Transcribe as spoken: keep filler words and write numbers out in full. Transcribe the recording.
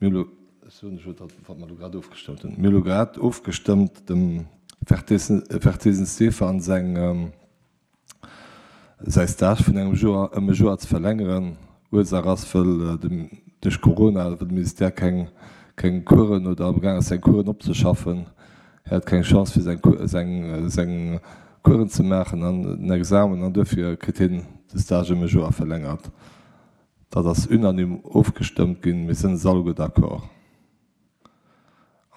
Mir hu lo, ech soen lech elo dat, wat mer elo grad ofgestëmmt hunn. Mir hu lo grad ofgestëmmt dem Vertesen Stefan seng, säi Stage vun engem Joer ëm e Joer ze verlängeren. Ursaach ass, wëll dem, duerch Corona, wëll de Ministère keng, keng Coursen oder amgaang ass seng Coursen opzeschaffen. Hie hat keng Chance fir seng, seng, seng Coursen ze maachen an den Examen an duerfir kritt hien de Stage ëm e Joer verlängert. Dat ass unanime ofgestëmmt ginn. Mir sinn eis alleguer d'accord.